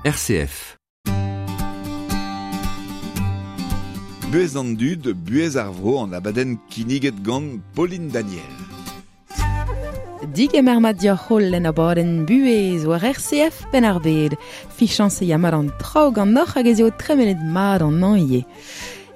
RCF. Buhez an dud, buhez ar vro an abadenn kinniget gant Pauline Daniel. Digemer mat dioc'h holl en abadenn buhez war RCF Penn-ar-Bed. Fichañs e ya mat an traoù ganeoc'h hag ez eo tremenet mat an hañv ivez.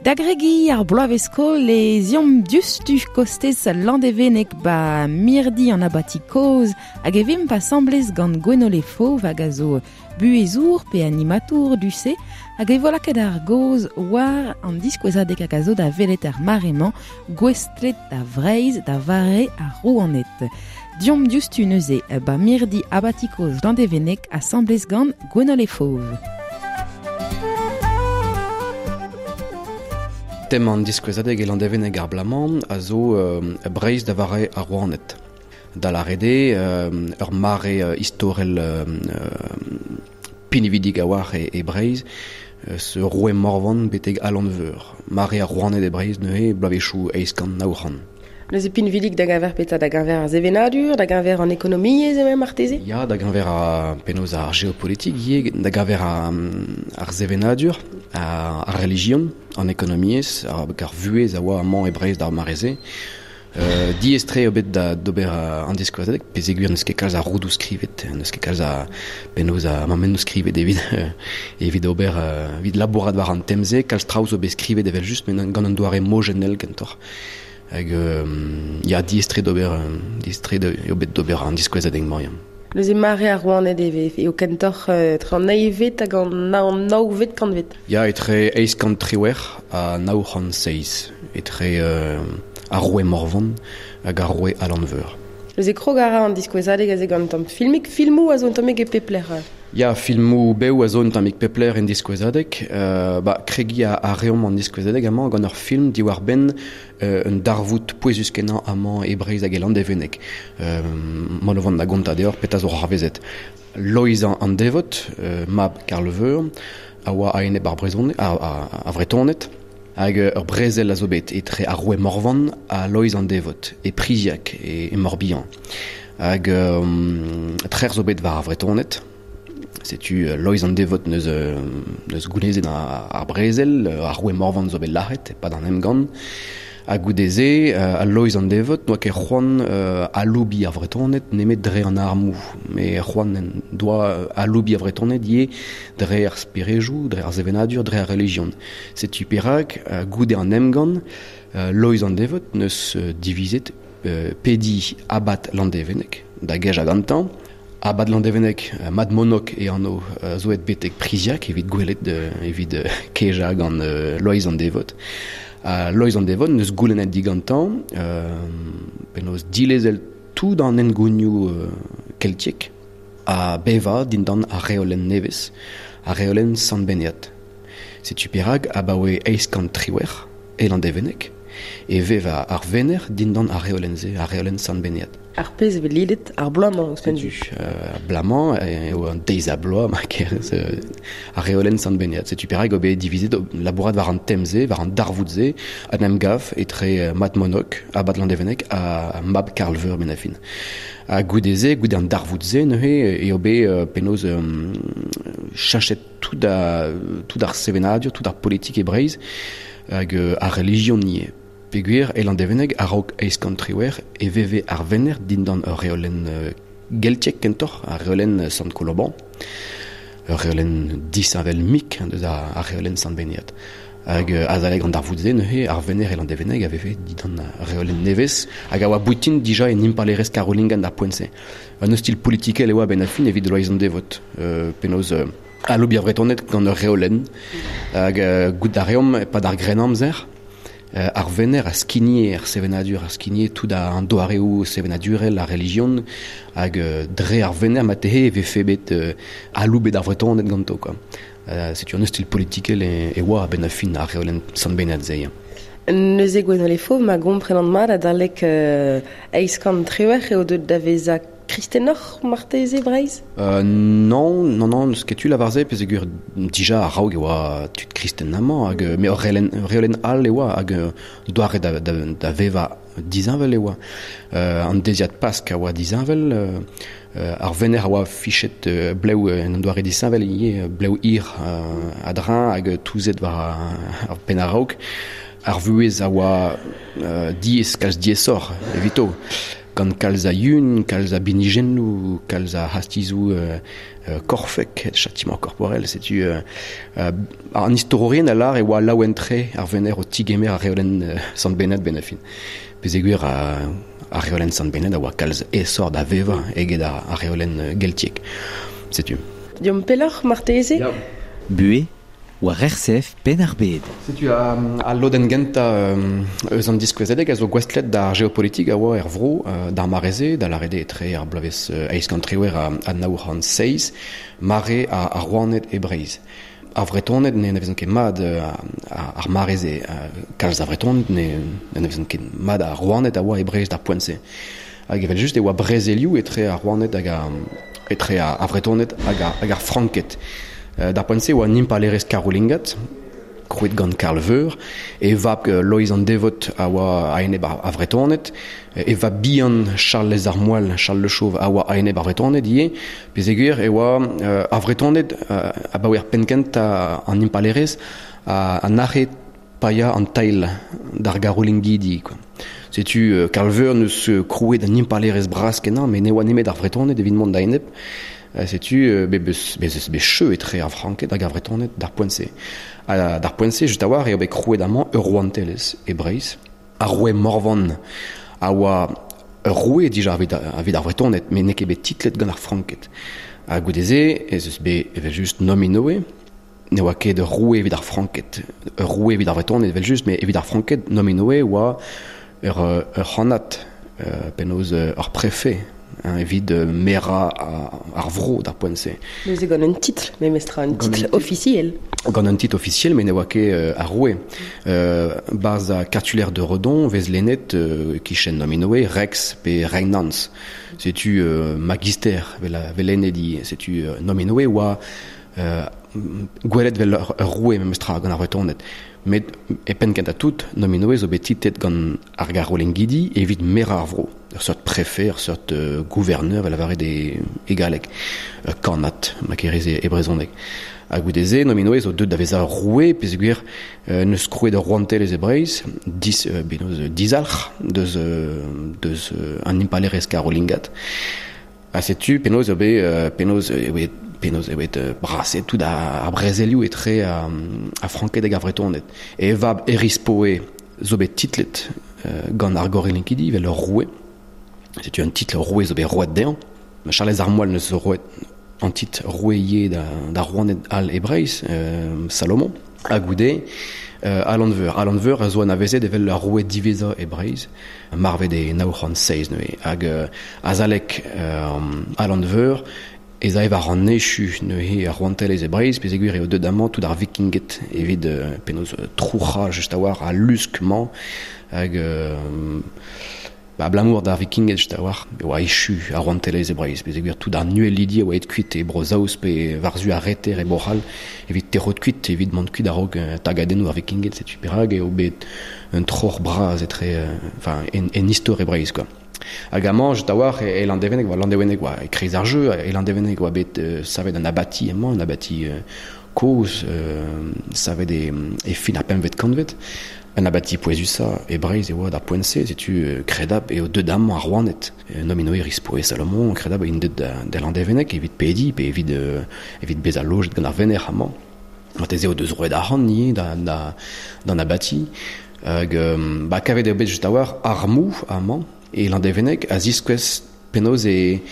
Da gregiñ ar bloavezh-skol e ziomp diouzhtu kostez Landevenneg ba mirdi an abati kozh hag e vimp asambles gant Gwenole Fauve hag a zo buhezour pe animatour du-se hag e vo lakaet ar gaoz war an diskouezadeg hag a zo da welet er mare-mañ gouestlet da Vreizh da vare ar rouaned. Deomp diouzhtu neuze ba mirdi abati kozh Landevenneg asambles gant Gwenole Fauve. Tem an diskouezadeg e Landevenneg ar bloaz-mañ a zo Breizh da vare ar rouaned. Da lâret eo ur mare istorel pinvidik a-walc'h e Breizh, eus roue Morvan betek Alan Veur. Mare ar rouaned e Breizh neuze, bloavezhioù 800-900. Neuze pinvidik da geñver petra? Da geñver ar sevenadur, da geñver an ekonomiezh eo marteze? Ya, da geñver ar penaos ar geopolitik ivez, da geñver ar sevenadur, ar relijion, an ekonomiezh, ar vuhez a oa amañ e Breizh d'ar mare-se. Diaes-tre eo bet d'ober an diskouezadeg, peogwir n'eus ket kalz a roudoù skrivet, n'eus ket kalz a penaos a mammennoù skrivet evit evit ober evit labourat war an tem-se. Kalz traoù zo bet skrivet evel-just, met gant un doare mojennel kentoc'h. Hag ya, diaes-tre d'ober diaes-tre eo bet d'ober an diskouezadeg-mañ. Ya. Neuze mare ar rouaned e vez eo kentoc'h etre an eilvet hag an navet kantved. Ya, etre 818 ha 907, etre ar roue Morvan hag ar roue Alan Veur. Neuze krog a ra an diskouezadeg aze gant un tamm filmig. Filmoù a zo un tammig e pep lec'h. Ya, filmoù bev a zo un tammig pep lec'h en diskouezadeg. Ba, kregiñ a reomp an diskouezadeg amañ gant ur film diwar-benn un darvoud pouezus-kenañ amañ e Breizh hag e Landevenneg. Mont o vont da gontañ deoc'h petra zo c'hoarvezet. Loeiz an Devot, mab Karl Veur, a oa a-enep ar brezhoneg, ar Vretoned, hag ur brezel a zo bet etre ar roue Morvan ha Loeiz an Devot, e Priziac, e Morbihan. Hag trec'h zo bet war ar Vretoned. Setu Loeiz an Devot neus, neus gounezet ar brezel, ar roue Morvan zo bet lazhet e-pad an emgann. Ha goude-se, al Loeiz an Devot n'oa ket c'hoant aloubiñ ar Vretoned nemet dre an armoù. Met c'hoant en doa aloubiñ ar Vretoned ivez dre ar sperejoù, dre ar sevenadur, dre ar relijion. Setu perak, goude an emgann, Loeiz an Devot neus divizet pediñ abad Landevenneg da gejañ gantañ. Abad Landevenneg, Mad Monok e anv, zo aet betek Priziac evit gwelet, evit kejañ gant Loeiz an Devot. Ha Loeiz an Devot neus goulennet digantañ penaos dilezel tout an hengounioù keltiek ha bevañ dindan ar reolenn nevez, ar reolenn Sant Benead. Setu perak abaoe 818 e Landevenneg e vev ar venec'h dindan ar reolenn-se, ar reolenn Sant Benead. Ar pezh e vez lidet ar bloaz-mañ ouzhpenn. Setu, ar bloaz-mañ eo an deiz-ha-bloaz ma kerez ar reolenn Sant Benead. Setu perak eo bet divizet labourat war an tem-se, war an darvoud-se, an emgav etre Mad Monok, abad Landevenneg, ha mab Karl Veur Benafin. Ha goude-se, goude an darvoud-se neuze, eo bet penaos cheñchet tout, a, tout ar sevenadur, tout ar politik e Breizh, hag ar relijion ivez. Peogwir e Landevenneg, a-raok 818, e veve ar venec'h dindan ur reolenn geltiek kentoc'h, ar reolenn Sant Koloban, ur reolenn disheñvel-mik deus ar reolenn Sant Benead. Hag azalek an darvoud-se neuze, ar venec'h e Landevenneg a veve dindan ar reolenn nevez, hag a oa boutin dija en impalaerezh karolingan d'ar poent-se. Un ostilh politikel e oa a-benn ar fin evit Loeiz an Devot, penaos aloubiñ ar Vretoned gant ur reolenn. Hag goût a reomp e-pad ar Grennamzer, ar venec'h a skigne ar sevenadur, a skigne tout an doareoù sevenadurel, ar relijion, hag dre ar venec'h marteze e vefe bet aloubet ar Vretoned ganto, quoi. Setu un ostilh politikel e oa a-benn ar fin ar reolenn Sant Benad-se. Neuze Gwenole Fauve, ma gomprenan mat, adalek 818 eo deuet da vezañ kristenoc'h marteze Breizh? Non, non, non, n'eus ket tu lavar-se, peogwir dija a-raok e oa tud kristen amañ, hag met ur reolenn all e oa, hag doare da vevañ disheñvel e oa. An deiziad Pask a oa disheñvel, ar venec'h a oa fichet blev en un doare disheñvel ivez, blev hir a-dreñv hag touzet war ar penn a-raok. Ar vuhez a oa diaes, kalz diaesoc'h evito, gant kalz a yun, kalz a binijennoù, kalz a c'hastizoù korfek, châtiment corporel, setu an istorourien a lâr e oa laouen-tre ar venec'h o tigemer ar reolenn Sant Bened benn ar fin. Peogwir ar reolenn Sant Bened a oa kalz aesoc'h da vevañ eget ar reolenn geltiek. Setu. Deomp pelloc'h marteze? Ya. Buhez war RCF Penn-ar-Bed. Setu al lodenn gentañ eus an diskouezadeg a zo gouestlet d'ar geopolitik a oa er vro d'ar mare-se, da lâret eo etre ar bloavezh 818 ha 907, mare ar rouaned e Breizh. Ar Vretoned ne anavezont ket mat ar mare-se, kalz a Vretoned ne anavezont ket mat ar rouaned a oa e Breizh d'ar poent-se. Hag evel-just e oa brezelioù etre ar rouaned hag etre ar Vretoned hag ar Franked. D'ar poent-se e oa un impalaerezh karolingat, krouet gant Karl Veur. E vab Loeiz an Devot a oa a-enep ar Vretoned. E vab bihan Charlez ar Moal, Charles Le Chauve, a oa a-enep ar Vretoned ivez. Peogwir e oa ar Vretoned abaoe ar penn-kentañ an impalaerezh a nac'he paeañ an tailh d'ar Garolingidi. Setu Karl Veur n'eus krouet un impalaerezh bras-kenañ, met ne oa nemet ar Vretoned evit mont da-enep. Setu bez eus bet cheu etre ar Franked hag ar Vretoned d'ar poent-se. Ha d'ar poent-se, just a-walc'h, eo bet krouet amañ ur rouantelezh e Breizh. Ar roue Morvan a oa ur roue dija evit ar Vretoned, met n'eo ket bet titlet gant ar Franked. Ha goude-se ez eus bet evel-just Nominoe. Ne oa ket ur roue evit ar Franked, ur roue evit ar Vretoned evel-just, met evit ar Franked, Nominoe oa ur c'hannad, penaos ur prefed evit merañ ar vro d'ar poent-se. Neuze gant un titl, memestra, un titl ofisiel. Gant un titl ofisiel, met ne oa ket ar roue. Barzh ar cartulaire de Redon vez lennet kichen Nominoe, Rex pe Regnans. Setu magister vel lennet ivez. Setu Nominoe oa gwelet vel ur roue memestra gant ar Vretoned. Met e penn kentañ tout, Nominoe zo bet titlet gant ar Garolingidi evit merañ ar vro. Ur seurt prefed, ur seurt gouverneur, vel lavaret e galleg. Ur kannad, ma kerez e brezhoneg. Ha goude-se, Nominoe zo deuet da vezañ ur roue, peogwir n'eus krouet ur rouantelezh e Breizh, dizalc'h deus an impalaerezh karolingat. Ha setu penaos eo bet penaos eo bet penaos eo bet braset tout ar brezelioù etre ar Franked hag ar Vretoned. E vab Erispoe zo bet titlet gant ar Gorelinkidi evel ur roue. Setu un titl roue zo bet roet dezhañ. Charlez ar Moal neus roet an titl roue ivez d'ar rouaned all e Breizh, Salomon. Ha goude, Alan Veur. Alan Veur a zo anavezet evel ar roue diwezhañ e Breizh, marvet e 907 neuze. Hag azalek Alan Veur ez ae war an echu neuze ar rouantelezh e Breizh, peogwir eo deuet amañ tout ar vikinged evit penaos trouc'hañ just a-walc'h al lusk-mañ. Hag abalamour d'ar vikinged just a-walc'h e oa echu ar rouantelezh e Breizh, peogwir tout ar nuellidi a oa aet kuit e Bro-Saoz pe war-zu ar reter e Bro-C'hall evit tec'hout kuit, evit mont kuit a-raok tagadennoù ar vikinged. Setu perak eo bet un troc'h bras etre, enfin, en istor e Breizh, quoi. Hag amañ, just a-walc'h, e Landevenneg, oa Landevenneg oa e-kreiz ar jeu, e Landevenneg oa bet savet un abati amañ, un abati kozh savet e fin ar pempvet kantved. Un abati pouezusañ e Breizh e oa d'ar poent-se, setu kredabl eo deuet amañ ar rouaned. Nominoe, Erispoe, Salomon, kredabl int deuet da Landevenneg evit pediñ pe evit bezañ lojet gant ar venec'h amañ. Marteze o deus roet arc'hant ivez d'an abati. Hag ba kavet eo bet just a-walc'h armoù amañ e Landevenneg a ziskouez penaos e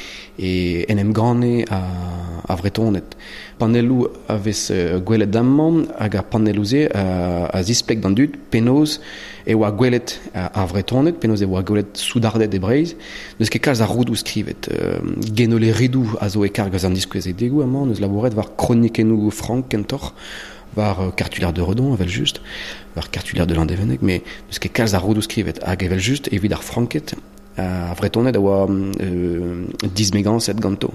en em ganne ar Vretoned. Panelloù a vez gwelet amañ hag ar panelloù-se a zispleg d'an dud penaos e oa gwelet ar Vretoned, penaos e oa gwelet soudarded e Breizh. N'eus ket kalz a roudoù skrivet. Genole Ridoù a zo e karg eus an diskouezadegoù amañ, n'eus labouret war kronikennoù frank kentoc'h, war cartulaire de Redon evel-just, war cartulaire de Landevenneg, met n'eus ket kalz a roudoù skrivet. Hag evel-just, evit ar Franked, Ar Vretoned a oa dismegañset ganto.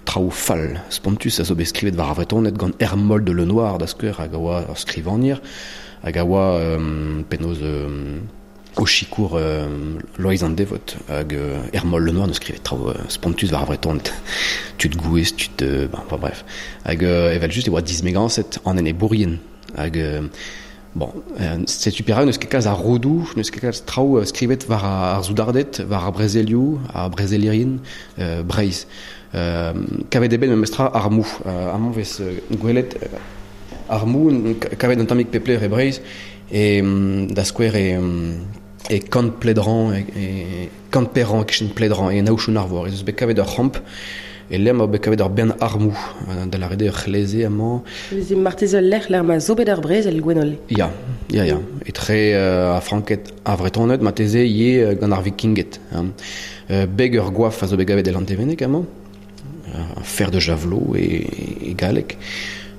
Traoù fall, spontus a zo bet skrivet war ar Vretoned gant Ermold de Lenoir da skouer hag a oa ur skrivagner hag a oa penaos o sikour Loeiz an Devot hag Ermold Lenoir neus skrivet traoù spontus war ar Vretoned. Tud gouez, tud... bon, enfin bref. Hag evel-just e oa dismegañset an enebourien hag bon, setu perak n'eus ket kalz a roudoù, n'eus ket kalz traoù skrivet war ar soudarded, war ar brezelioù, ar brezelerien Breizh. Kavet eo bet memestra armoù. Amañ vez gwelet armoù kavet un tammig pep lec'h e Breizh, e da skouer e kant Pledran, e kant Perran, e-kichen Pledran, e Aochou-Narvor, ez eus bet kavet ur c'hamp e lec'h ma bet kavet ur bern armoù, da lâret eo ur c'hleze amañ. Neuze marteze ul lec'h lec'h ma zo bet ar brezel, Gwenole. Ya, ya, ya. Etre ar Franked ar Vretoned, marteze ivez gant ar Vikinged. Hein. Beg ur goaf a zo bet kavet e Landevenneg amañ, un fer de javelot e galleg.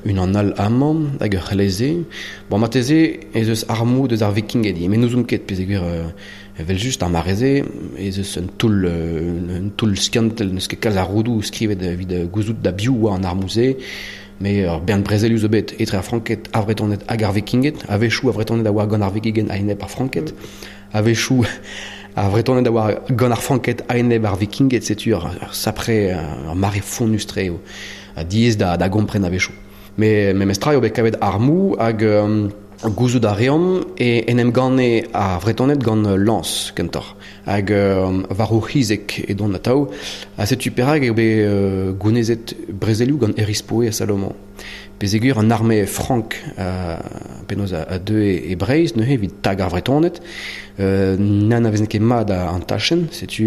Unan all amañ hag ur c'hleze. Bon, marteze ez eus armoù deus ar Vikinged ivez, met n'ouzon ket peogwir evel-just ar mare-se ez eus un toull skiantel, n'eus ket kalz a roudoù skrivet evit gouzout da biv oa an armoù-se, met ur bern brezelioù zo bet etre ar Franked, ar Vretoned hag ar Vikinged. A-wechoù ar Vretoned a oa gant ar Vikinged a-enep ar Franked, a-wechoù ar Vretoned a oa gant ar Franked a-enep ar Vikinged. Setu ur sapre, ur mare fonnus-tre eo, ha diaes da gompren a-wechoù. Met memestra eo bet kavet armoù hag gouzout a reomp e en em ganne ar Vretoned gant lañs kentoc'h. Hag war o c'hizek edont atav. Ha setu perak eo bet gounezet brezelioù gant Erispoe ha Salomon. Peogwir an arme frank penaos a deue e Breizh neuze evit tag ar Vretoned, n'anavezen ket mat an tachenn, setu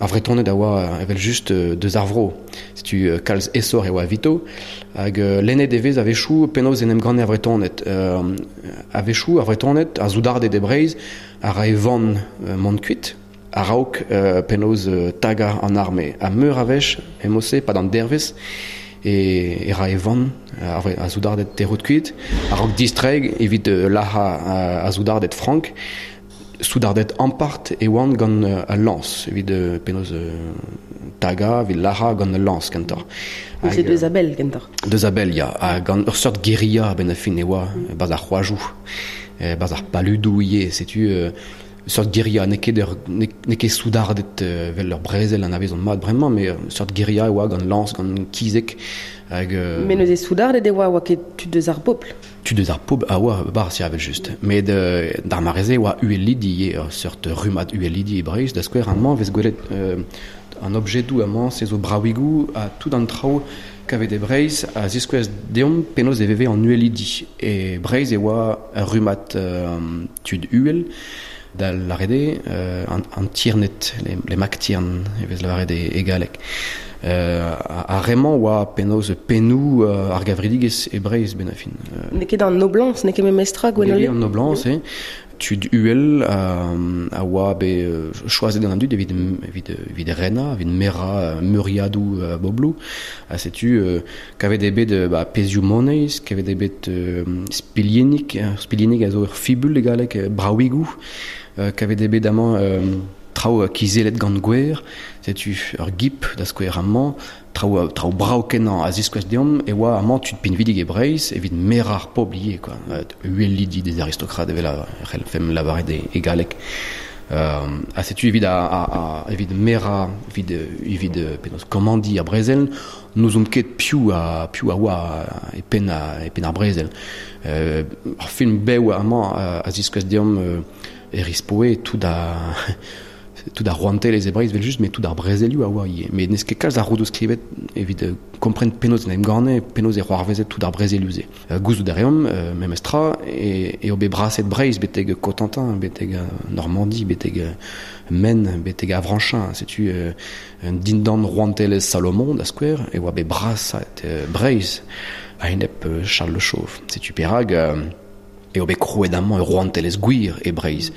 ar Vretoned a oa evel-just deus ar vro. Setu kalz aesoc'h e oa evito. Hag lennet e vez a-wechoù penaos en em ganne ar Vretoned. A-wechoù ar Vretoned, ar soudarded e Breizh, a rae van mont kuit a-raok penaos tagañ an arme. Ha meur a wech, e-mod-se, pad an dervezh, e rae van ar soudarded tec'hout kuit, a-raok distreiñ evit lazhañ ar soudarded frank. Soudarded ampart e oant gant al lañs, evit penaos tagañ, evit lazhañ gant al lañs kentoc'h. C'est deus a-bell kentoc'h. Deus a-bell, ya. Ha gant ur seurt guerilla a-benn ar fin e oa, barzh ar c'hoajoù, barzh ar paludoù ivez, setu seurt guerilla, n'eo ket n'eo ket soudarded vel ur brezel anavezont mat bremañ, met seurt guerilla e oa gant lañs, gant kizek. Hag, met neuze soudarded e oa ket tud deus ar bobl. Tud deus ar pobl a oa barzh ya evel-just. Met d'ar mare-se e oa uhelidi ivez, ur seurt rummad uhelidi e Breizh. Da skouer, amañ vez gwelet an objedoù amañ, se zo bravigoù ha tout an traoù kavet e Breizh a ziskouez deomp penaos e veve an uhelidi. E Breizh e oa ur rummad tud uhel, da lâret eo an tierned, les mactiern e vez lavaret e galleg. Ar re-mañ oa penaos pennoù ar gavridigezh e Breizh benn ar fin. N'eo ket an noblañs, n'eo ket memestra Gwenole? N'eo ket an noblañs, eo. Tud uhel a oa bet choazet gant an dud evit renañ, evit merañ meuriadoù bobloù. Ha setu kavet eo bet pezhioù moneiz, kavet eo bet spilhennig, spilhennig a zo ur fibul e galleg, bravigoù, kavet eo bet amañ traoù kizellet gant gwer, setu ur gip da skouer amañ, traoù brav-kenañ a ziskouez deomp e oa amañ tud pinvidik e Breizh evit merañ ar pobl ivez, quoi. Uhelidi des aristocrates evel a c'hellfemp lavaret e galleg. Ha setu evit evit merañ, evit penaos komandiñ ar brezel, n'ouzomp ket piv a oa e penn ar brezel. Ar film bev amañ a ziskouez deomp Erispoe tout ar rouantelezh e Breizh evel-just, met tout ar brezelioù a oa ivez. Met n'eus ket kalz a roudoù skrivet evit kompren penaos en em ganne, penaos e c'hoarvezet tout ar brezelioù-se. Gouzout a reomp, memestra, eo bet braset Breizh betek Cotentin, betek Normandie, betek Maine, betek Avranchin. Setu dindan rouantelezh Salomon, da skouer, e oa bet braset Breizh a-enep Charles le Chauve. Setu perak eo bet krouet amañ ur rouantelezh gwir e Breizh.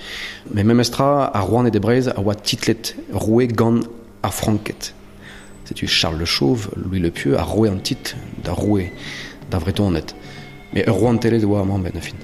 Met memestra, ar rouaned e Breizh a oa titlet roue gant ar Franked. Setu Charles le Chauve, Louis le Pieux, a roe an titl da roue da Vretoned. Met ur rouantelezh e oa amañ benn ar fin.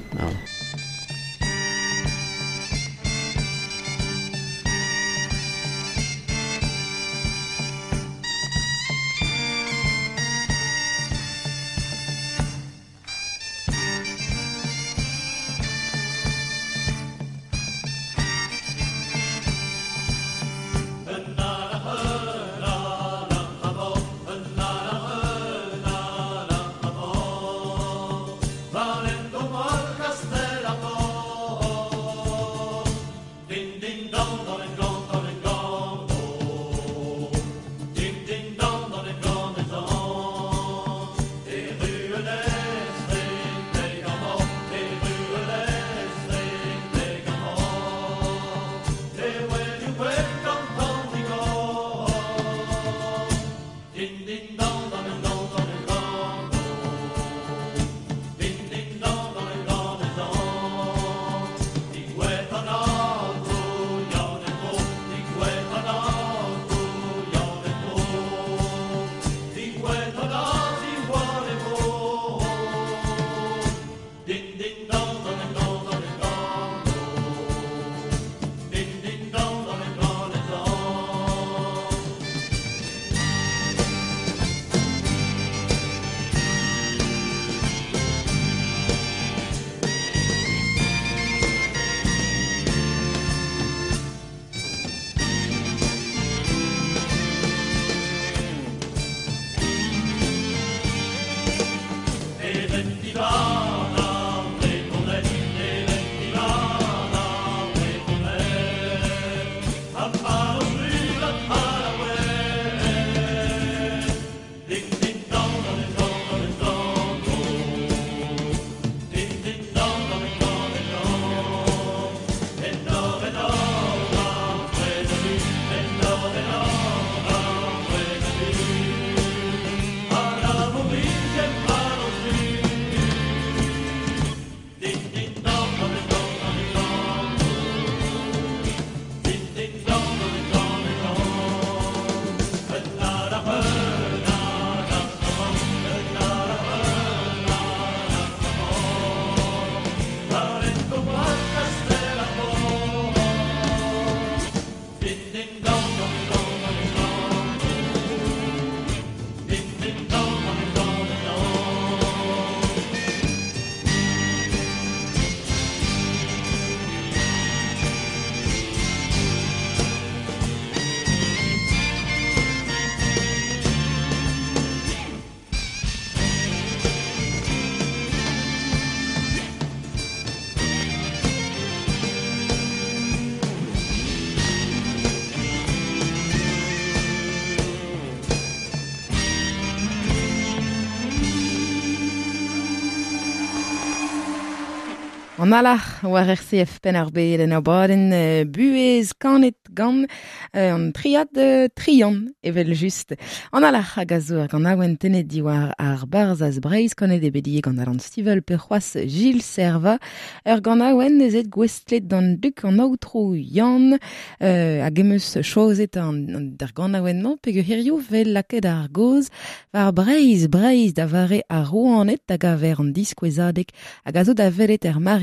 An alac'h war RCF pen ar bed en abadenn buez kanet gant an triad trian evel just. An alac'h hag a zo ar gant awen tenet diwar ar barzaz Breizh kanet e bedie gant Alan Stivel pe c'hoaz Gilles Serva ur gant awen ezet gwestlet d'an duk an aotrou Yann hag emeus chozet an d'ar gant awen-mañ peg hirio vel laket ar goz war Breizh Breizh da vare ar rouanet da gaver an diskouezadeg hag a zo da velet er mare-mañ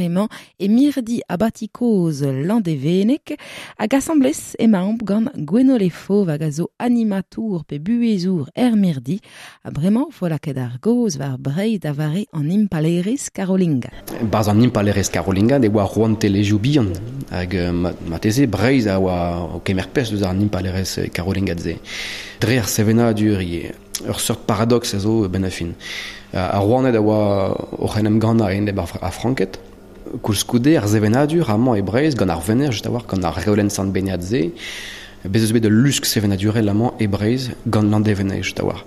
e mirdi abati koz Landeveneg hag asambles emaomp gant Gwenole Fauve hag a zo animatour pe buezour er mirdi ha bremañ vo laket ar goz war Breizh da vare an impalerez Karolinga. Barz an impalerez Karolinga e oa rouantelezioù bihan hag mateze Breizh a oa o kemer pezh deus an impalerez Karolinga ze. Dre ar sevenadur ivez. Ur seurt paradox a zo ben a fin. Ar rouaned a oa oc'h en em gannañ enep ar Franked. Koulskoude ar sevenadur amañ e Breizh gant ar Vener just a-walc'h gant ar reolenn Sant Benead se bez eus bet ul lusk sevenadurel amañ e Breizh gant Landevenneg just a-walc'h.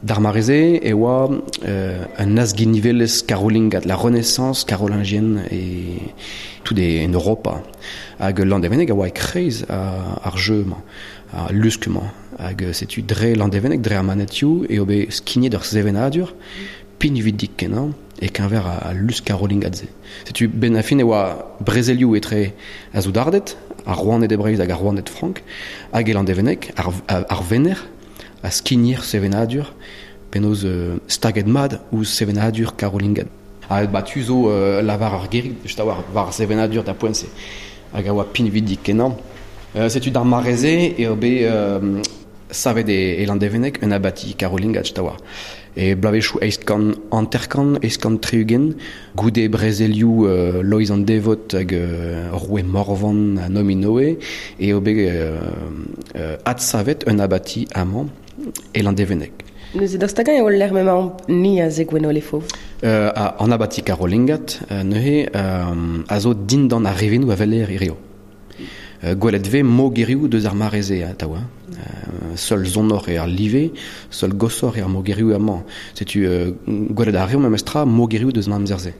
D'ar mare-se e oa un azginivelezh karolingat, la Renaissance carolingienne e tout en Europa. Hag Landevenneg a oa e-kreiz ar jeu-mañ, ar lusk-mañ. Hag setu dre Landevenneg, dre ar manetioù, eo bet skignet ur sevenadur pinvidik kenañ e keñver al lusk karolingat-se. Setu ben a fin e oa brezelioù etre a zoudarded, ar rouaned e Breizh hag ar rouaned frank, hag e Landevenneg, ar Vener, a skignir sevenadur, penaos staget mat ouzh sevenadur karolingat. Ha ba tu zo lavar ar gerig, just a-walc'h war sevenadur da poent-se, hag a oa pinvidik kenañ. Setu d'ar mare-se eo bet savet e Landevenneg un abati karolingat just a-walc'h. E bloavezhioù 850, 860, goude brezelioù Loeiz an Devot hag roue Morvan ha Nominoe, eo bet adsavet un abati amañ e Landevenneg. Neuze daoust hag-eñ eo lec'h m'emaomp ni aze Gwenole Fauve? An abati karolingat neuze a zo dindan ar rivinoù a weler hirio. Gwelet vez mogerioù deus ar mare-se atav. Seul zonoc'h eo ar live, seul gosoc'h eo ar mogerioù amañ. Setu gwelet a reomp memestra mogerioù deus an amzer-se.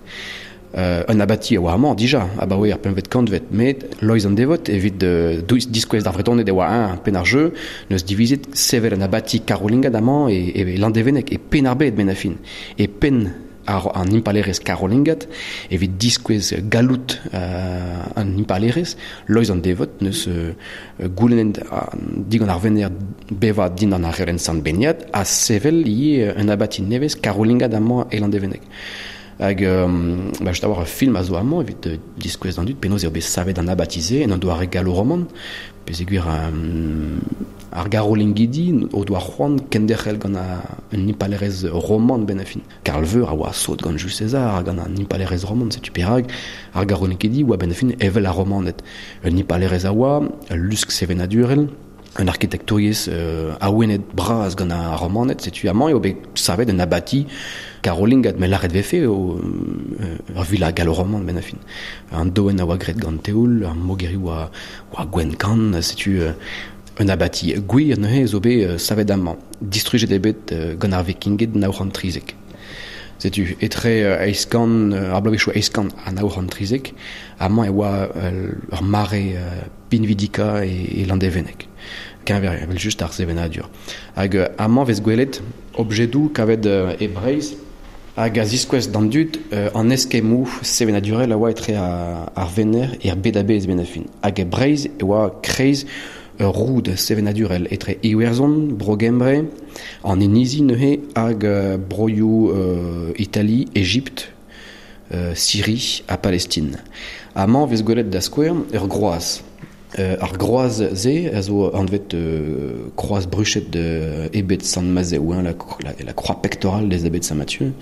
Un abati a oa amañ dija, abaoe ar pempvet kantved, met Loeiz an Devot evit diskouez d'ar Vretoned e oa eñ penn ar jeu, neus divizet sevel un abati karolingat amañ e Landevenneg, e penn ar bed ben a fin, e penn an impalerez karolingat evit diskouez gallout an impalerez, Loeiz an Devot neus goulennet digant ar Vener bevañ dindan ar reolenn Sant Benead ha sevel ivez un abati nevez karolingat amañ e Landevenneg. Hag ba just a-walc'h ur film a zo amañ evit diskouez d'an dud penaos eo bet savet an abati-se en un doare gallo-roman, peogwir ar garolingidi o doa c'hoant kenderc'hel gant un impalerez roman ben a fin. Karl Veur a oa sot gant Jules César hag gant an impalerez roman, setu perak ar garolingidi oa ben a fin evel ar romaned. Un impalerez a oa, ul lusk sevenadurel, un arkitektouriezh awenet bras gant ar romaned, setu amañ eo bet savet un abati karolingat, met lâret vefe eo ur villa gallo-roman ben a fin. An doen a oa graet gant teoul, ar mogerioù oa gwenn kann, setu un abati gwir neuze zo bet savet amañ. Distrujet eo bet gant ar vikinged 913. Setu etre 800, ar bloavezhioù 800 ha 913, amañ e oa ur mare pinvidika e Landevenneg. Keñver evel just ar sevenadur. Hag amañ vez gwelet objedoù kavet e Breizh hag a ziskouez d'an dud an eskemmoù sevenadurel a oa etre ar Vener er bed a-bezh ben a fin. Hag e Breizh e oa kreiz ur roud sevenadurel etre Iwerzhon, Bro-Gembre, an Inizi neuze hag broioù Itali, Ejipt, Syrie ha Palestine. Amañ vez gwelet da skouer ur groaz. Ar groaz-se a zo anvet kroaz bruchet ebet Sant-Mazev, hein, la croix pectorale des abbés de Saint-Mathieu.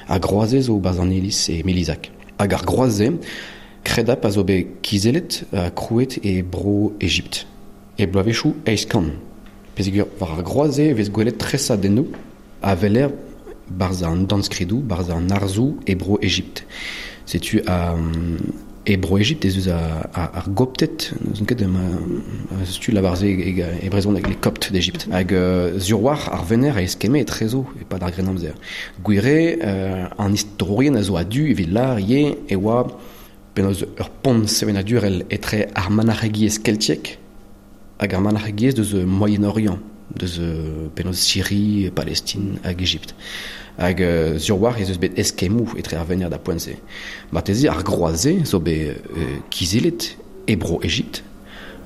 Ar groaz-se zo barzh an iliz e Milizac. Hag ar groaz-se, kredap a zo bet kizellet ha krouet e bro Ejipt. E bloavezhioù 800. Peogwir war ar groaz-se e vez gwelet tresadennoù a weler barzh an dornskridoù, barzh an arzoù e bro Ejipt. Setu e bro Ejipt ez eus ar Gopted, n'eus ket setu lavar-se e brezhoneg, les Coptes d'Égypte. Hag sur-war ar Vener a eskemme etrezo e-pad ar Grennamzer. Gwir eo an istorourien a zo a-du evit lâr ivez e oa penaos ur pont sevenadurel etre ar manac'hegiezh keltiek hag ar manac'hegiezh deus Moyen-Orient, deus penaos Syrie, Palestine hag Egypt. Hag sur war ez eus bet eskemmoù etre ar venec'h da poent-se. Marteze ar groaz-se zo bet kizellet e bro Egypt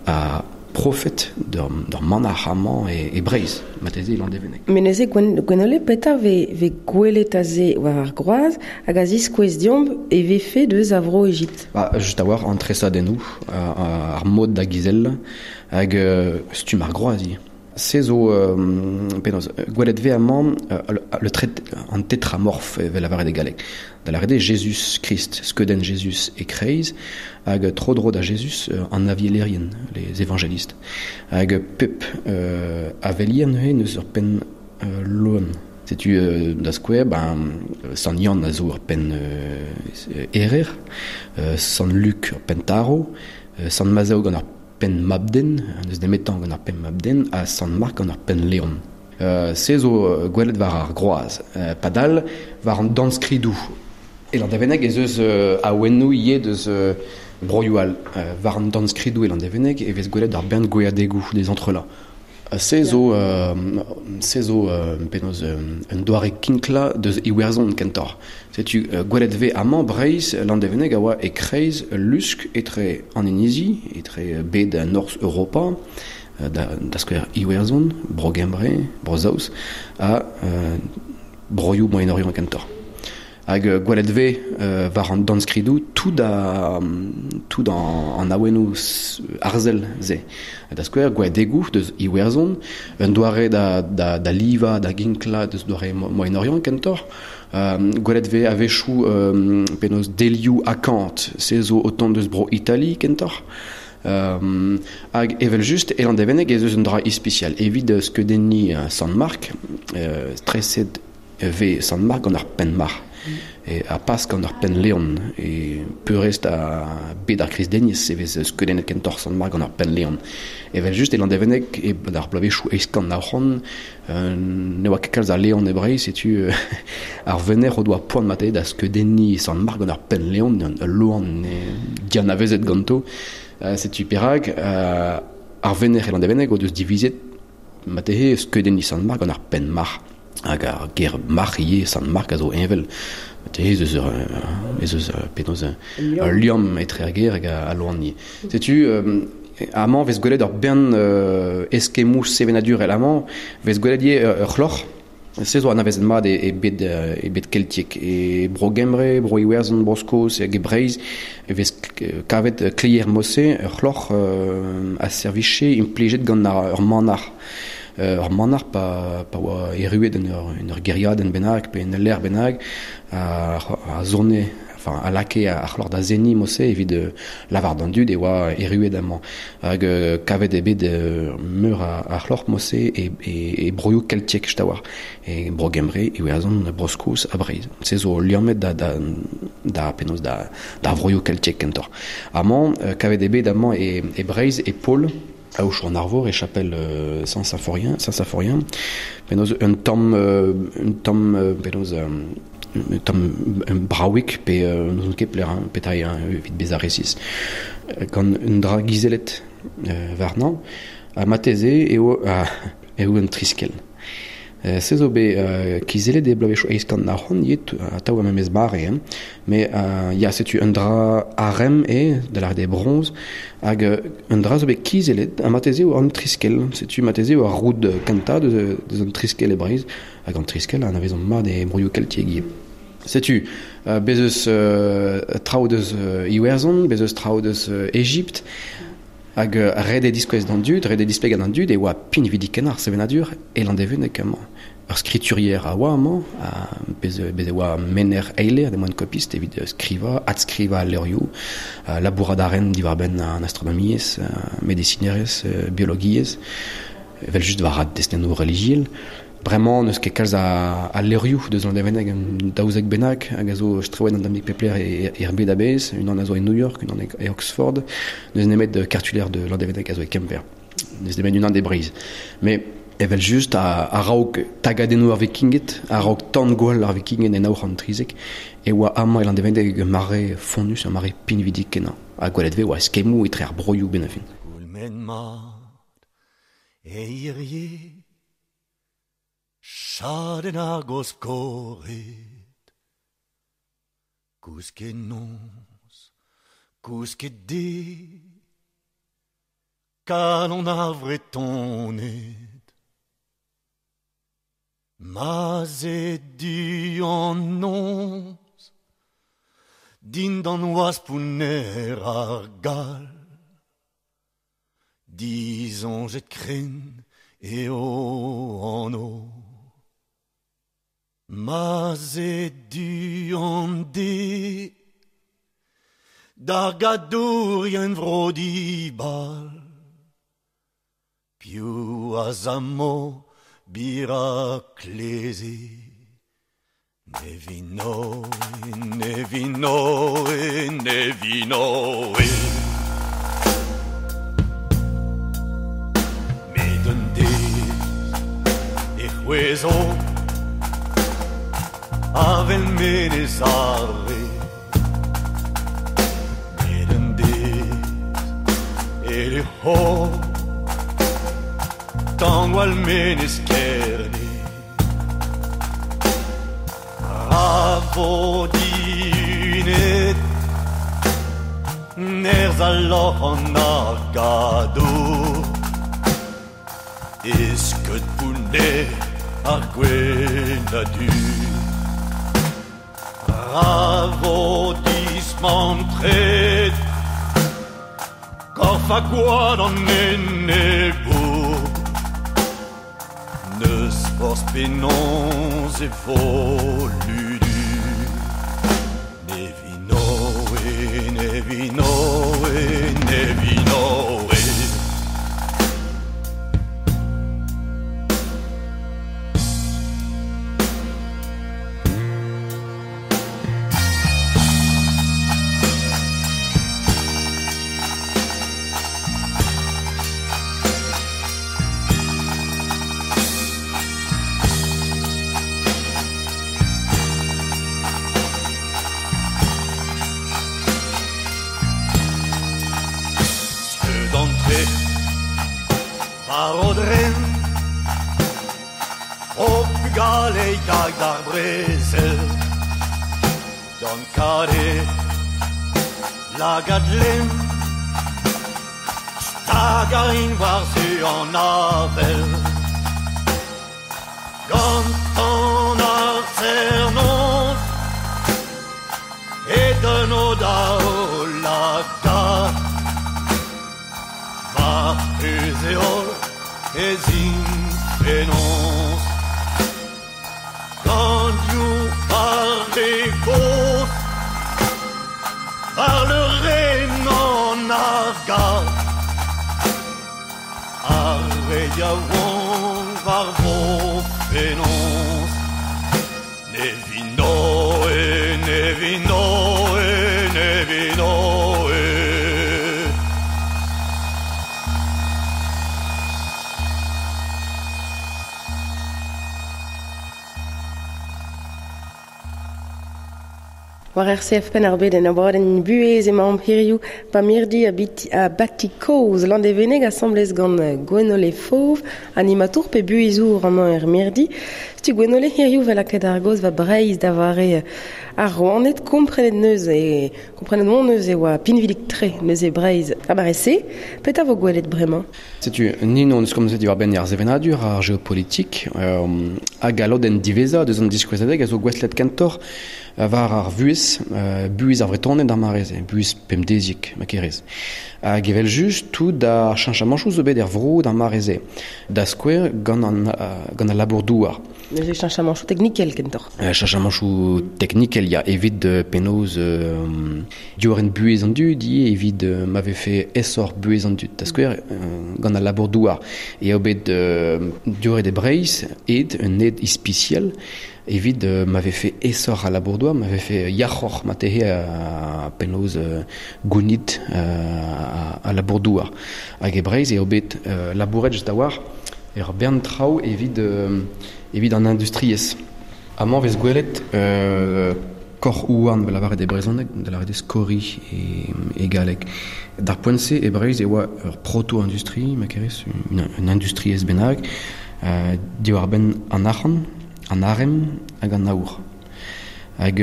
ha profet d'ur manac'h amañ e Breizh, marteze e Landevenneg. Met neuze Gwenole, petra vez gwelet aze war ar groaz hag a ziskouez deomp e vefe deus a vro Egipt? Ba, just a-walc'h an tresadennoù, ar mod da gizellañ hag stumm ar groaz ivez. Se zo penaos gwelet vez amañ le trait an tetramorf evel lavaret e galleg. Da lavaret eo Jezuz Krist, skeudenn Jezuz e-kreiz, hag tro-dro da Jezuz an avielerien, les évangélistes. Hag pep avelier neuze n'eus ur penn loen. Setu da skouer, ben, Sant Yann a zo ur penn erer, Sant Luc ur penn tarv, Sant Mazhev gant ur penn mabden, n'eus nemetañ gant ar penn mabden, ha Sant Mark gant ar penn leon. Se zo gwelet war ar groaz. Padal, war an dornskridoù e Landevenneg ez eus awennoù ivez deus broioù all. War an dornskridoù e Landevenneg e vez gwelet ar bern gweadegoù des entrelacs. Se zo, se zo penaos un doare kinklañ deus Iwerzhon kentoc'h. Setu gwelet vez amañ Breizh Landevenneg a oa e-kreiz ul lusk etre an inizi, etre bed Norzh Europa, da skouer Iwerzhon, Bro-Gembre, Bro-Saoz, ha broioù Moyen-Orient kentoc'h. Hag gwelet vez war an dornskridoù tout tout an awennoù arzel-se. Da skouer, gweadegoù deus Iwerzhon, un doare da livañ, da ginklañ deus doare Moyen-Orient kentoc'h. Gwelet vez a-wechoù penaos delioù akant, se zo o tont deus bro Itali kentoc'h. Hag evel-just, e Landevenneg ez eus un dra ispisial. Evit skeudenniñ Sant Mark, treset vez Sant Mark gant ar penn-marc'h. Ha pas gant ar penn leon. E peurrest a bed ar kristeniezh e vez skeudennet kentoc'h Sant Mark gant ar penn leon. Evel-just e Landevenneg, e ar bloavezhioù 1890, ne oa ket kalz a leon e Breizh, setu ar venec'h o doa poan mat da skeudenniñ Sant Mark gant ar penn leon, ul loan dianavezet ganto. Setu perak ar venec'h e Landevenneg o deus divizet marteze skeudenniñ Sant Mark gant ar penn marc'h. Hag ar ger marc'h ivez, Sant Mark a zo heñvel. Ez eus ez eus penaos ul liamm etre ar ger hag al loan ivez. Setu amañ vez gwelet ur bern eskemmoù sevenadurel. Amañ vez gwelet ivez ur c'hloc'h. Se zo anavezet mat e bed keltiek. E Bro-Gembre, Bro-Iwerzhon, Bro-Skos hag e Breizh e vez kavet kleier Mosse, ur c'hloc'h a servije implijet gant ur manac'h. Ur manac'h pa oa erruet en ur gêriadenn bennak pe en ul lec'h bennak a zone, enfin a lakae ar c'hloc'h da seniñ Mosse evit lavar d'an dud e oa erruet amañ. Hag kavet eo bet meur a c'hloc'h Mosse e broioù keltiek just a-walc'h. E Bro-Gembre, Iwerzhon, Bro-Skos ha Breizh. Se zo liammet da penaos da vroioù keltiek kentoc'h. Amañ, kavet eo bet amañ e Breizh, e Pol, Aochou an Arvor e chapel Saint-Symphorien, Saint-Symphorien, penaos un tamm un tamm penaos un tamm bravik pe n'ouzon ket pelec'h petra eo evit bezañ resis. Gant un dra gizellet warnañ, ha marteze eo eo un triskell. Se zo bet kizellet e bloavezhioù 1890 ivez, atav ar memes mare, hein. Met ya, setu un dra arem eo, da lâret eo bronze, hag un dra zo bet kizellet, ha marteze eo an triskell. Setu marteze eo ar roud kentañ deus an triskell e Breizh, hag an triskell a anavezomp mat e broioù keltiek ivez. Setu, bez eus traoù deus Iwerzhon, bez eus traoù deus Egipt, hag ret eo diskouez d'an dud, ret eo displegañ d'an dud e oa pinvidik-kenañ ar sevenadur e Landevenneg amañ. Ur skriturier a oa amañ, bez e oa menner eiler, de moine copiste, evit skrivañ, adskrivañ al levrioù, labourat a ren diwar-benn an astronomiezh, medisinerezh, biologiezh, evel-just war ad destennoù relijiel. Bremañ n'eus ket kalz a levrioù deus Landevenneg, un daouzek bennak, hag a zo strewet an tammig pep lec'h er bed a-bezh, unan a zo e New York, unan e Oxford, n'eus nemet cartulaire de Landevenneg a zo e Kemper. N'eus nemet unan e Breizh. Mais Evel just a raok tagadennoù ar vikinged, a raok tan gwall ar vikinged en aour an trizek, e oa amañ e Landevenneg ur mare fonnus, ur mare pinvidik kenañ. Ha gwelet vez oa eskemmoù etre ar broioù ben a fin. Goulmen mat, e hirie, chadenn ar goskored, kousket noz, kousket de, kalon ar vretoned. Ma ze du an noz, dindan oaz pouner ar gal, dizoñjet kren eo an o. Ma ze du an de, d'ar gadourien vro dibal, piou a zammo bira kleze. Nevino, nevino, nevino. Met un dez e c'hwezo avel menez arre. Met un dez e lec'ho tangwall menez kerne. Ra vo diunet nerz al loc'h an ar gadour, eskeud pouner ar gwenn a du. Ra vo dismantret korf ha gwad an enebour, neus forz penaos e vo ludu. Nevinoe, nevinoe, nevinoe. D'ar brezel, gant kare lagad lem, stag a rin war zu an avel. Gant an ar zernoz, e deuno da o lagad, war eus e holl ez int penaos. Gant par e goz, par le ren an ar gad, ar re yaouank war vo penaos. Nevinoe, nevinoe, nevinoe. War RCF Penn ar Bed en abadenn buhez emaomp hiziv pa mirdi a bati kozh Landevenneg asambles gant Gwenole Fauve, animatour pe buhezour amañ er mirdi. Setu Gwenole hiziv vel lakaet ar gaoz va Breizh da vare ar Rouaned, komprenet neus e komprenet mont neus e oa pinvidik tre neus e Breizh a barese. Petra vo gwelet bremañ? Setu nin on eus komzet diwar-benn ar sevenadur, ar geopolitik, hag a lodenn diwezhañ deus an diskouezadeg a zo gouestlet kentoc'h war ar vuhez, buhez ar Vretoned ar mare-se, buhez pemdeziek, ma kerez. Hag evel just, tout ar cheñchamanchoù zo bet er vro d'ar mare-se. Da skouer gant gant al labour douar. Neuze cheñchamanchoù teknikel kentoc'h. Cheñchamanchoù teknikel, ya, evit penaos diorren buhez an dud, ivez, evit ma vefe aesoc'h buhez an dud. Da skouer, gant al labour douar. Eo bet dioret e Breizh, ed, un ed ispisial, evit ma vefe aesoc'h al labour douar, ma vefe yac'hoc'h ma tehe a penaos gounit a labour douar. Hag e Breizh eo bet labouret just a-walc'h Ur bern traoù evit, evit an industriezh. Amañ vez gwelet kor ouarn vel lavaret e brezhoneg, da lavaret eo skori e galleg. D'ar poent-se e Breizh e oa ur proto-industrie, ma kerez, un industriezh bennak, diwar-benn an arc'hant, an arem hag an aour. Hag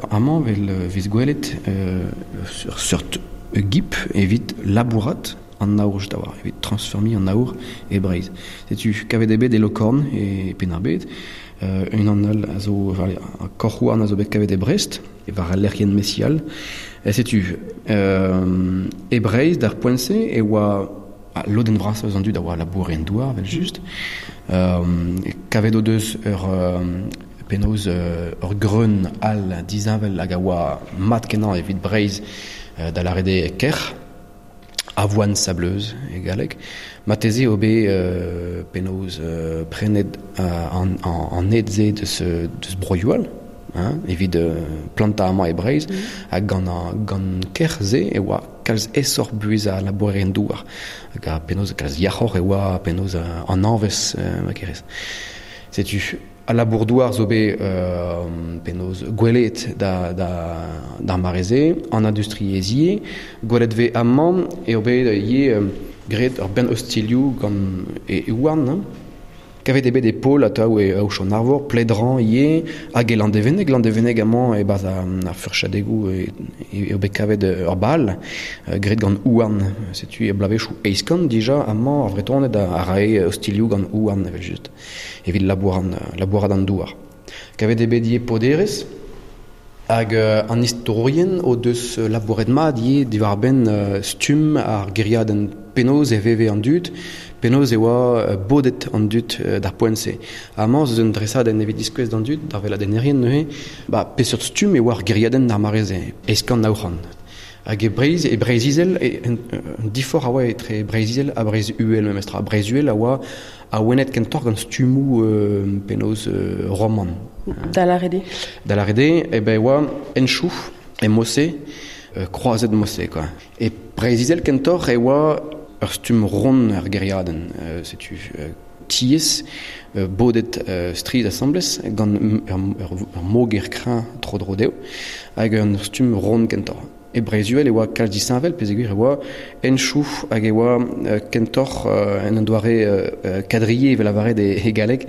amañ vel vez gwelet ur seurt gip evit labourat an aour just a-walc'h, evit transformiñ an aour e Breizh. Setu kavet eo bet e Lokorn e Penn-ar-Bed, unan all a zo korc'houarn a zo bet kavet e Brest, war al lec'hienn Mesial. Setu e Breizh d'ar poent-se e oa lodenn vrasañ eus an dud a oa labourerien douar evel-just. Kavet o deus ur penaos ur greun all disheñvel hag a oa mat-kenañ evit Breizh da lâret eo kerc'h, avoine sableuse e galleg. Marteze eo bet penaos prenet an ed-se deus broioù all, hein, evit plantañ amañ e Breizh, hag gant kerc'h-se e oa kalz aesoc'h buhezañ labourerien douar, hag penaos kalz yac'hoc'h e oa penaos an hañvezh ma kerez. Setu al labour-douar zo bet penaos gwelet d'ar mare-se, an industriezh ivez. Gwelet vez amañ eo bet ivez graet ur bern ostilhoù gant e houarn. Kavet eo bet e Pol atav e Aochon-Arvor, Pledran ivez, hag e Landevenneg. Landevenneg amañ e-barzh ar furchadegoù eo bet kavet ur bal graet gant houarn. Setu e bloavezhioù eizh kant dija amañ ar Vretoned a rae ostilhoù gant houarn evel-just, evit labourat an douar. Kavet eo bet ivez poderezh, hag an istorourien o deus labouret mat ivez diwar-benn stumm ar gêriadenn, penaos e veve an dud, penaos e oa bodet an dud d'ar poent-se. Amañ zo un dresadenn evit diskouez d'an dud, d'ar weladennerien neuze, ba peseurt stumm e oa ar gêriadenn d'ar mare-se, eizh kant nav c'hant. Hag e Breizh, e Breizh-Izel, un diforc'h a oa etre Breizh-Izel ha Breizh-Uhel memestra. Breizh-Uhel a oa awenet kentoc'h gant stummoù penaos roman. Da lâret eo? Da lâret eo, eh ben e oa henchoù e mod-se, kroazet mod-se quoi. E Breizh-Izel kentoc'h e oa ur stumm ront ar gêriadenn, setu tiez bodet strizh asambles gant ur moger kreñv tro-dro dezho hag un stumm ront kentoc'h. E Breizh-Uhel e oa kalz disheñvel peogwir e oa henchoù hag e oa kentoc'h en un doare quadrillé evel lavaret e galleg,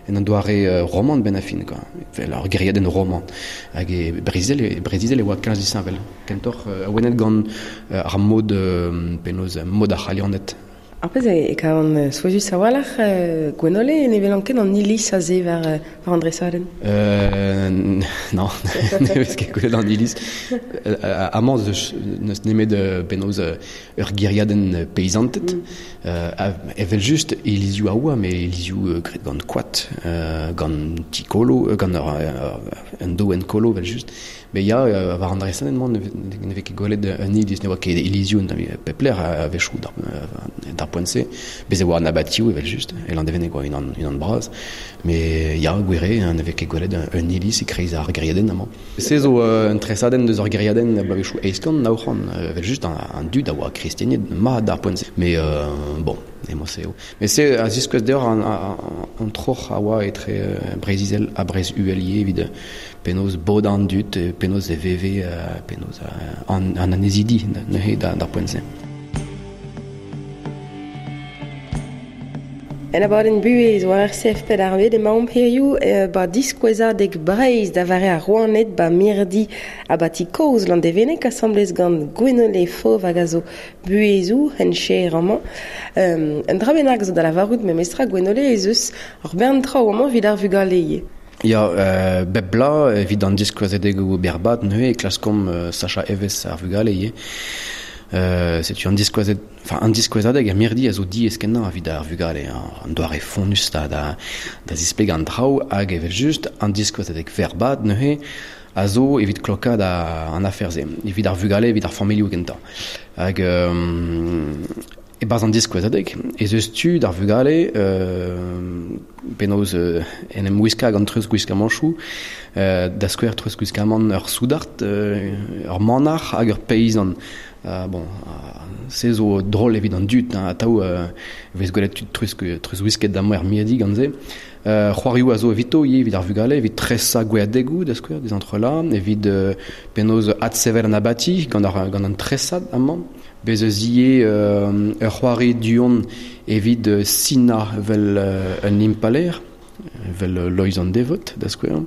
en un doare roman benn ar fin quoi, evel ur gêriadenn roman. Hag e Breizh-Izel e oa kalz disheñvel, kentoc'h awenet gant ar mod penaos mod ar C'halianed. Ar pezh e kavan souezhus a-walc'h, Gwenole, ne welan ket an iliz aze war an dresadenn. Non, ne vez ket gwelet an iliz. Amañ n'eus nemet penaos ur gêriadenn peizanted. Evel-just ilizioù a oa, met ilizioù graet gant koad, gant ti kolo, gant un doenn kolo evel-just. Met ya, war an dresadenn-mañ ne vez ket gwelet un iliz, ne oa ket ilizioù pep lec'h a-wechoù d'ar poent-se. Bez' e oa an abatioù evel-just, e Landevenneg e oa unan bras. Met ya, gwir eo, ne vez ket gwelet un iliz e-kreiz ar gêriadenn amañ. Se zo un tresadenn deus ar gêriadenn bloavezhioù 800, 900, evel-just an dud a oa kristeniet mat d'ar poent-se. Met bon, emañ-se eo. Met se a ziskouez deoc'h an troc'h a oa etre Breizh-Izel ha Breizh-Uhel ivez evit penaos bodañ an dud, penaos e veve, penaos an annezidi neuze d'ar poent-se. En abadenn buhez war RCF Penn-ar-Bed emaomp hiziv ba diskouezadeg Breizh da vare ar Rouaned ba mirdi abati kozh Landevenneg asambles gant Gwenole Fauve hag a zo buhezoù hencher amañ. Un dra bennak zo da lavarout memestra Gwenole ez eus ur bern traoù amañ evit ar vugale ivez. Ya, bep bloaz evit an diskouezadegoù berrbad neuze e klaskomp sachañ evezh ar vugale ivez. Setu an diskouezad, enfin an diskouezadeg er mirdi a zo diaes-kenañ evit ar vugale, an doare fonnus da zisplegañ an traoù hag evel-just an diskouezadeg verrbad neuze a zo evit klokaat an afer-se, evit ar vugale, evit ar familhoù kentañ. Hag E baz an diskouezadeg, ez eus tu d'ar vugale penaos en em wiska gant treuz gwiskamanchoù, da skouer treuz gwiskamant ur soudard, ur manac'h hag ur peizant. Bon, se zo drol evit an dud, hein, atav vez gwelet tud treuz wisket da er mirdi gant se. C'hoarioù a zo evito ivez evit ar vugale, evit tresañ gweadegoù da skouer, des entrelacs, evit penaos adsevel an abati gant an tresad amañ. Bez eus ivez ur c'hoari du-hont evit sinañ vel un impalaer, vel Loeiz an Devot, da skouer.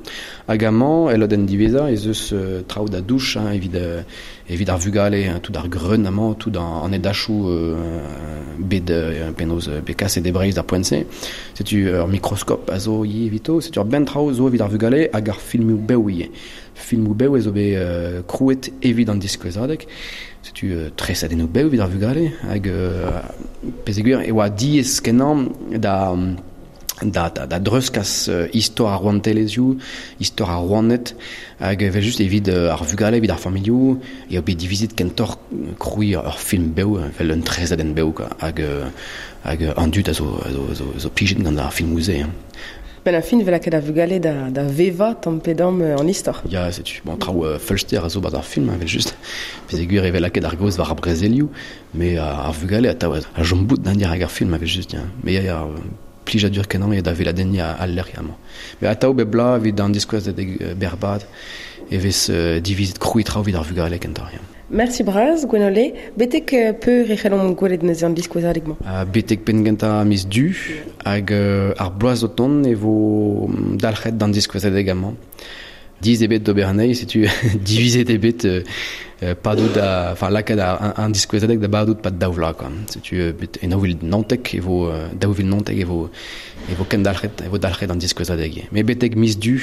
Hag amañ, el lodenn diwezhañ, ez eus traoù da douch hein, evit ar vugale, hein, tout ar greun amañ, tout an edachoù bet penaos bet kaset e Breizh d'ar poent-se. Setu ur mikroskop a zo ivez evito, setu ur bern traoù zo evit ar vugale hag ar filmoù bev ivez. Filmoù bev ez zo bet krouet evit an diskouezadeg. Setu tresadennoù bev evit ar vugale hag peogwir e oa diaes kenañ da da dreuzkas istor ar rouantelezhioù, istor ar rouaned, hag evel just evit ar vugale, evit ar familhoù, eo bet divizet kentoc'h krouiñ ur film bev, evel un tresadenn bev, quoi, hag an dud a zo plijet gant ar filmoù-se. Hein. Ben ar fin vel lakaat ar vugale da vevañ tamm pe damm an istor. Ya, setu, bon, traoù feulster a zo 'barzh ar film, evel just. Peogwir e vel lakaet ar gaoz war ar brezelioù, met ar vugale atav a chom bout d'an dirak ar film, evel just, ya. Mais ya, plijadur kenañ eo da weladenniñ al lec'h amañ. Met atav bep bloaz evit an diskouezadeg berrbad e vez divizet krouiñ traoù evit ar vugale kentoc'h. Ya. Merci bras, Gwenole. Betek peur e c'hellomp gwelet neuze an diskouezadeg-mañ? Betek penn-gentañ miz Du hag ar bloaz o tont e vo dalc'het d'an diskouezadeg amañ. Diz ebet d'ober anezhi, setu divizet eo bet padout da, enfin lakaat an diskouezadeg da badout pad daou vloaz, quoi. Setu bet e 2019 e vo 2019 e vo kendalc'het, e vo dalc'het an diskouezadeg. Met betek miz Du,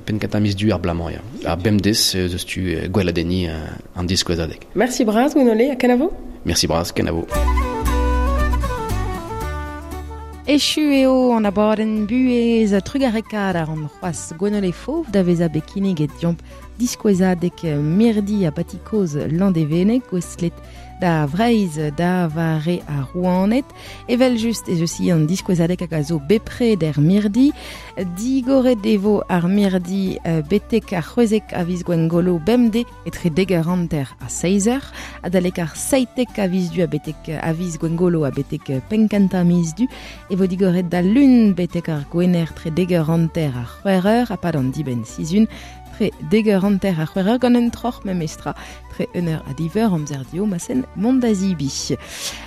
penn-kentañ miz Du ar bloaz-mañ, ya. Ar bemdez eus tu gweladenniñ an diskouezadeg. Merci bras, Gwenole, ha kenavo? Merci bras, kenavo. Echu eo an abadenn buhez trugarekaat a ran c'hoazh Gwenole Fauve da vezañ bet kinniget deomp diskouezadeg mirdi abati kozh Landevenneg gouestlet da Vreizh da vare ar rouaned. Evel just ez eus an diskouezadeg hag a zo bepred er mirdi. Digoret e vo ar mirdi betek ar c'hwezek a viz Gwengolo bemdez etre dek eur hanter ha seizh eur, adalek ar seitek a viz Du a betek a viz Gwengolo ha betek penn-kentañ miz Du e vo digoret da lun betek ar Gwener tre dek eur hanter ha c'hwec'h eur ha pad an dibenn sizhun tre dek eur hanter ha c'hwec'h eur gant un troc'h memestra tre un eur ha div eur amzer dio ma sen mont da zibi.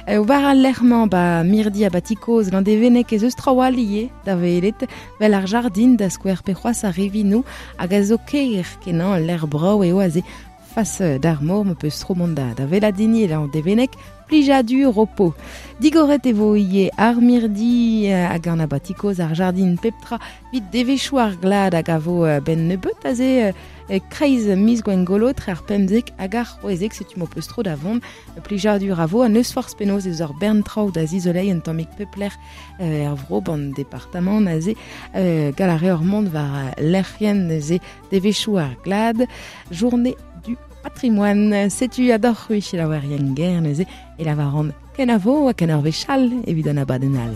War al lec'h-mañ ba mirdi abati kozh Landevenneg ez eus traoù all ivez da welet vel ar jardin da skouer pe c'hoazh ar rivinoù hag a zo ker kenañ ul lec'h brav eo aze fas d'ar mor ma peus tro mont da weladini e Landevenneg plijadur ho po. Digoret e vo ivez ar mirdi hag an abati kozh ar jardin pep tra evit devezhioù ar glad hag a vo benn nebeut aze kreiz miz Gwengolo tre ar pemzek hag ar c'hwezek setu m'ho peus tro da vont plijadur a vo ha n'eus forzh penaos ez ur bern traoù da zizoleiñ un tammig pep lec'h er vro ban departamant aze gall a reor mont war lec'hienn neuze devezhioù ar glad journée du patrimoine. Setu adoc'h c'hwi selaouerien ger neuze e lavaran kenavo ha ken ur wech all evit an abadenn all.